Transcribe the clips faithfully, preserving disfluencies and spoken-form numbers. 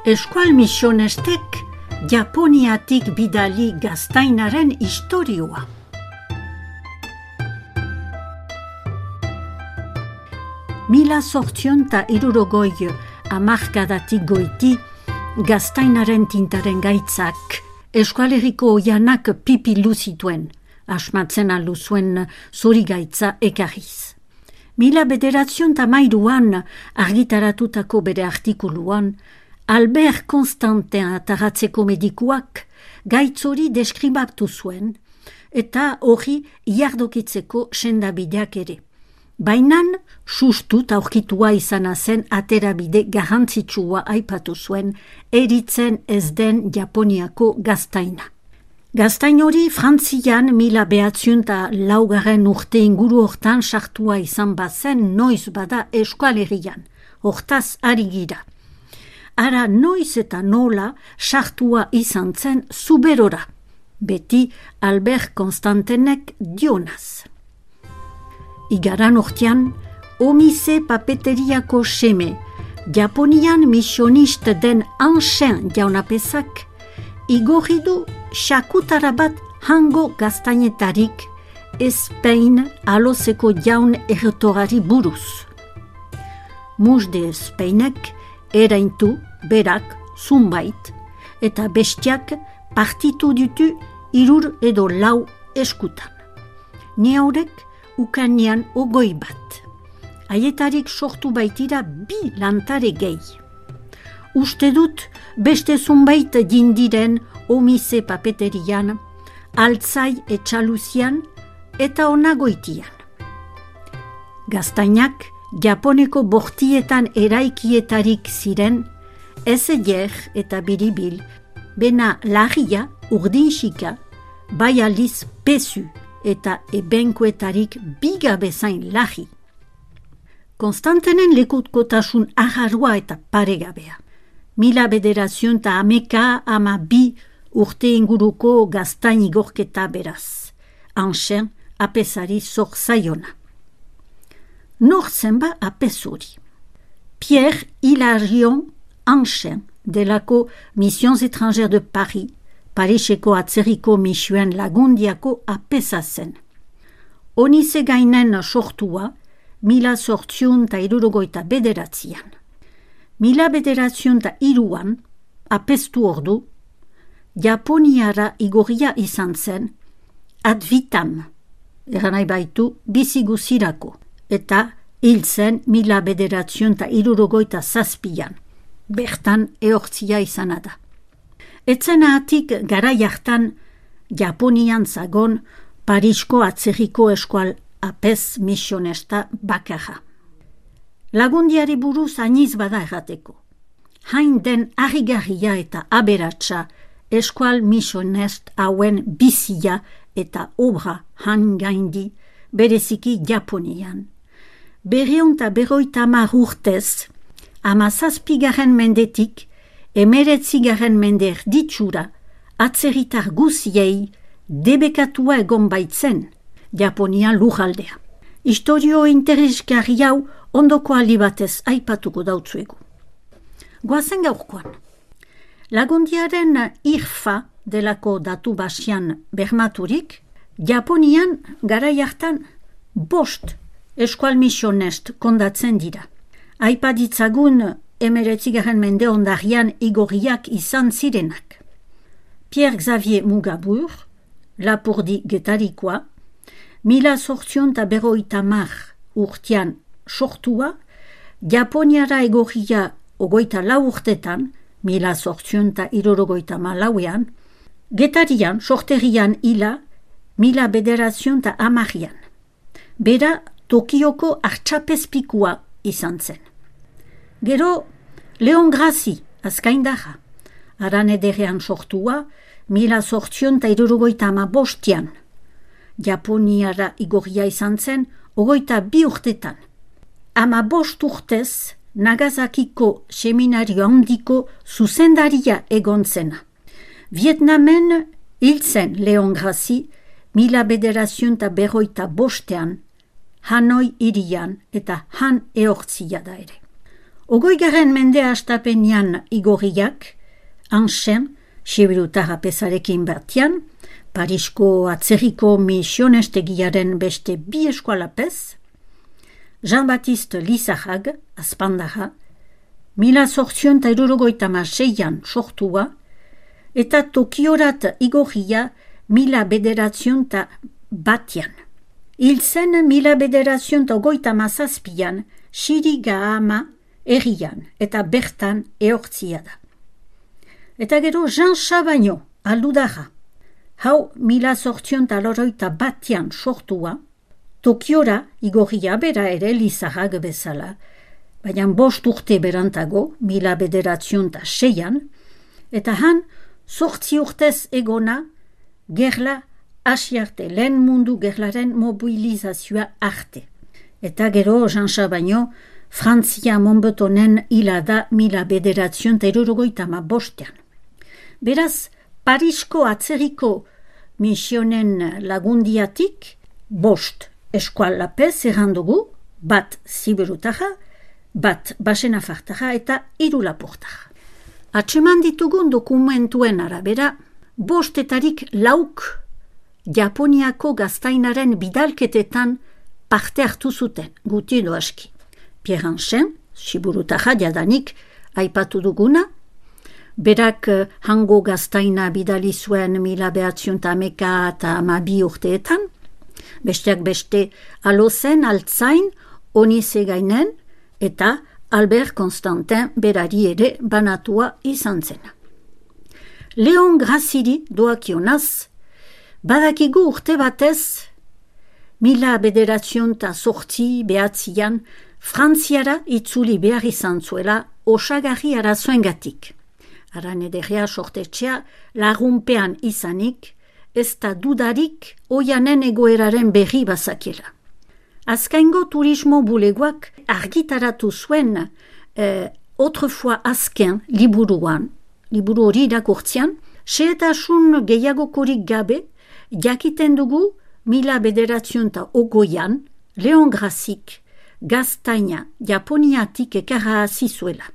Eskual misionestek Japoniatik bidali gaztainaren istorioa. Mila zortzion ta irurogoi hamarkadatik goiti gaztainaren tintaren gaitzak Euskal Herriko oianak pipilu zituen, asmatzen alu zuen zuri gaitza ekarriz. Mila bederatzion ta mairuan argitaratutako bere artikuluan, Albert Constantin ataratzeko medikuak gaitzori deskribatu zuen eta hori iardokitzeko sendabideak ere. Bainan, sustut aurkitua izana zen aterabide garrantzitsua aipatu zuen eritzen ez den Japoniako gaztaina. Gaztain hori Frantzian mila behatziun eta laugarren urte inguru hortan sartua izan bazen noiz bada Euskal Herrian, hortaz ari gira. Ara noiz eta nola sartua izan zen zuberora, beti Albert Constantinek dionaz. Igaran hortian, Omise papeteriako seme, Japonian misionist den Anxen jaunapezak, igorri du xakutara bat hango gaztainetarik Espein alozeko jaun erretorari buruz. Musde Espeinek eraintu berak zunbait eta bestiak partitu ditu irur edo lau eskutan. Ne haurek ukanean ogoi bat. Aietarik sortu baitira bi lantare gehi. Uste dut beste zunbait jindiren Omise papeterian, altzai etxaluzian eta onagoitian. Gaztainak Japoneko bortietan eraikietarik ziren, ezeger eta biribil, bena larria urdinxika, bai aldiz pezu eta ebenkoetarik biga bezain larri. Konstantenen lekutkotasun aharua eta paregabea. Mila bederazion eta ameka ama bi urte inguruko gaztain igorketa beraz. Anxen apesari zor zaiona. Nor zenba apesuri. Pierre Hilarion Anxen delako Missions étrangères de Paris, Pariseko atzerriko misioen lagundiako apesa zen. Onize gainen sortua, mila sortziun eta irurogoita bederatzian. Mila bederatziun eta iruan, apestu ordu, Japoniara igorria izan zen, ad vitam, eranai baitu biziguzirako, eta hil zen mila bederatziun eta irurogoita zazpian, bertan ehortzia izana da. Etzena atik garai hartan Japonian zagon Parisko atzerriko eskual apez misionesta bakarra. Lagundiari buruz ainiz bada errateko. Hain den harrigarria eta aberatsa eskual misionest hauen bizia eta obra han gaindi bereziki Japonian. Berreun eta berroita hamar urtez, hamazazpigarren mendetik, emeretzigaren mende erditsura, atzerritar guziei debekatua egon baitzen Japonian lujaldea. Historio interesgarri hau ondoko aldi batez aipatuko dautzuegu. Goazen gaurkoan. Lagundiaren irfa delako datu basian bermaturik, Japonian garai hartan bost eskual misionest kondatzen dira. Aipaditzagun emeretzigarren mende ondarian igorriak izan zirenak. Pierre Xavier Mugabur, Lapurdi Getarikoa, mila sortzion eta berroita mar urtean sortua, Japoniara egorria ogoita lau urtetan, mila sortzion eta irorogoita malauean, Getarian, sorterian hila, mila bederazion eta amarian. Bera, Tokioko artxapezpikua izan zen. Gero, Leon Grassi, azkaindaja, aran ederean sortua, mila sortzion eta irurogoita ama bostian. Japoniara igorria izan zen, ogoita bi urtetan. Ama bost urtez, Nagasakiko seminario handiko zuzendaria egon zena. Vietnamen hil zen Leon Grassi, mila bederazion eta berroita bostean, Hanoi irian eta han ehortzia da ere. Ogoigaren mendea astapenian igorriak, Anxen, Sibirutarra pezarekin batian, Parisko atzerriko misionestegiaren beste bi eskualapez, Jean-Baptiste Lizarrag, Azpandarra, mila zortzion eta irurogoita maseian sortua, eta Tokiorat igorria mila bederatzion eta batian. Hil zen mila bederatzion eta goita mazazpian, Shirigahama errian eta bertan ehortzia da. Eta gero Jean Chabagnot, aldudarra. Hau mila zortzion eta loroita batian sortua, Tokiora igorria bera ere Lizarrag bezala, baina bost urte berantago, mila bederatzion eta seian, eta han zortzi urtez egona, gerla hasi arte, lehen mundu gerlaren mobilizazioa arte. Eta gero Jean Chabagnot, Frantzia Monbetonen hilada mila bederatzion eta irurogoita ma bostean. Beraz, Parisko atzerriko misionen lagundiatik, bost eskualapez errandugu, bat Sibirutarra, bat Basenafartarra eta hiru Lapurtarra. Atseman ditugun dokumentuen arabera, bostetarik lauk Japoniako gaztainaren bidalketetan parte hartu zuten, guti edo aski. Pierre Anxen, Sibirutarra jadanik aipatu duguna, berak hango gaztaina bidali zuen mila behatzion eta hameka eta hamabi urteetan, besteak beste Alozen, Altzain, Onizegainen eta Albert Constantin berari ere banatua izan zena. Leon Graziri doakionaz, badakigu urte batez, mila bederatzion eta sortzi behatzian, Frantziara itzuli behar izan zuela osagarri arazoengatik. Aran ederrea sortetxea lagunpean izanik, ez da dudarik oianen egoeraren berri bazakiela. Azkaingo turismo bulegoak argitaratu zuen eh, autrefois azken liburuan, liburu hori irakurtzian, xehetasun gehiagokorik gabe, jakiten dugu mila bederatzion eta ogoian, Leon Grazik, gaztaina Japoniatik ekarra zizuela.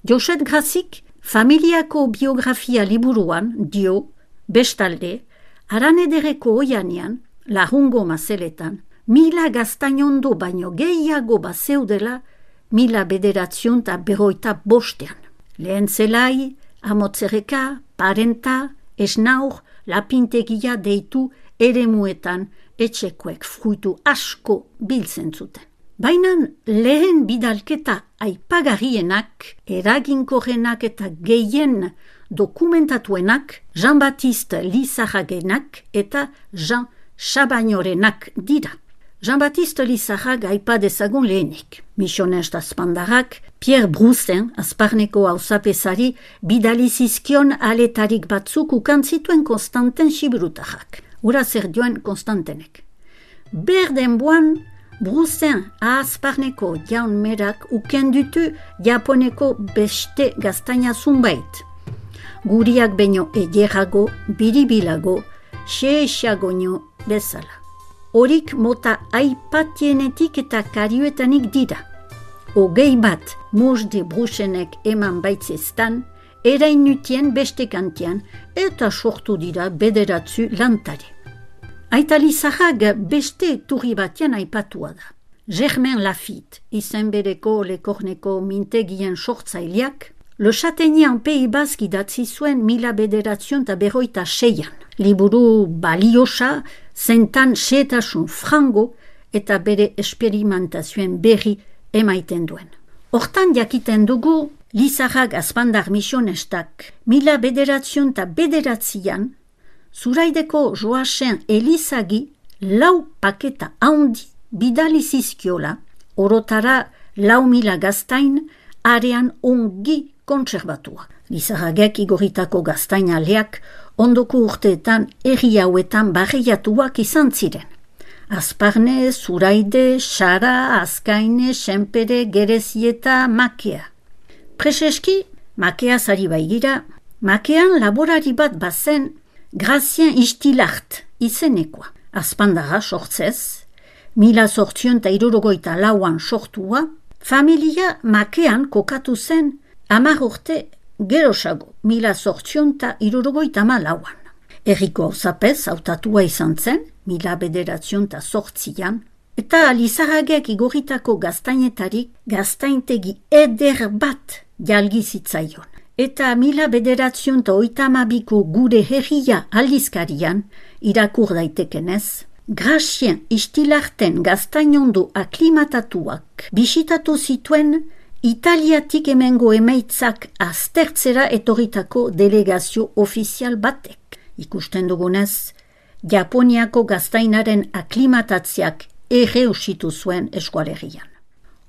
Joset Grazik, familiako biografia liburuan, dio, bestalde, aran ederreko oianean, lahungo mazeletan, mila gaztainondo baino gehiago bazeudela, mila bederatzion eta beroita bostean. Lehen zelai, amotzereka, parenta, esnaur, lapintegia deitu eremuetan etxekoek fruitu asko biltzen zuten. Baina lehen bidalketa aipagarrienak, eraginkorrenak eta gehien dokumentatuenak Jean-Baptiste Lizarragenak eta Jean Chabagnorenak dira. Jean-Baptiste Lizarrag aipa dezagun lehenik. Misionest Azpandarrak, Pierre Broussen, Azparneko auzapezari, bidali zizkion aletarik batzuk ukantzituen Konstantin Sibirutarrak. Ura zer dioen Konstantenek. Berden boan, Broussen Azparneko jaun merak ukendutu Japoneko beste gaztaina zunbait. Guriak baino ederrago, biribilago, xeexagoño bezala. Horik mota aipatienetik eta karioetanik dira. Ogei bat Mosde Broussenek eman baitzestan, erainutien beste kantian eta sortu dira bederatzu lantari. Aita Lizarrag beste turri batian aipatua da. Germain Lafitte, izen bereko lekorneko mintegien sortzaileak, Le Châtaignier Pays Basque idatzi zuen mila bederatzion eta berroita seian. Liburu baliosa, zentan xehetasun frango eta bere esperimentazioen berri emaiten duen. Hortan jakiten dugu, Lizarrag Azpandar misionestak mila bederatzion eta bederatzian, Zuraideko Joasen Elizagi lau paketa handi bidali zizkiola, orotara lau mila gaztain arean ongi kontserbatua. Lizarragek igoritako gaztainaleak ondoko urteetan herri hauetan barreiatuak izan ziren. Azparne, Zuraide, Xara, Azkaine, Senpere, Gerezieta, Makea. Preseski, Makea zari baigira, Makean laborari bat bazen Grazien Istilart izenekoa. Azpandara sortzez, mila sortzion eta irurogoita lauan sortua, Familia makean kokatu zen hamar urte gerosago, mila zortzionta irurogoita malauan. Herriko zapez hautatua izan zen, mila bederatzionta zortzian, eta Lizarragek igorritako gaztainetarik gaztaintegi eder bat jalgizitzaion. Eta mila bederatzionta oitamabiko gure herria aldizkarian irakur daitekenez, Gracien istilarten gaztainondo aklimatatuak bisitatu zituen Italiatik emengo emaitzak aztertzera etorritako delegazio ofizial batek. Ikusten dugunez, Japoniako gaztainaren aklimatatziak erreusitu zuen eskualerian.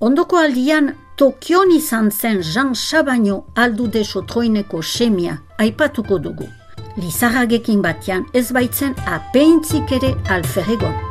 Ondoko aldian, Tokion izan zen Jean Chabaino aldude sotroineko semia aipatuko dugu. Lizarragekin batean ez baitzen apeintzik ere alferregon.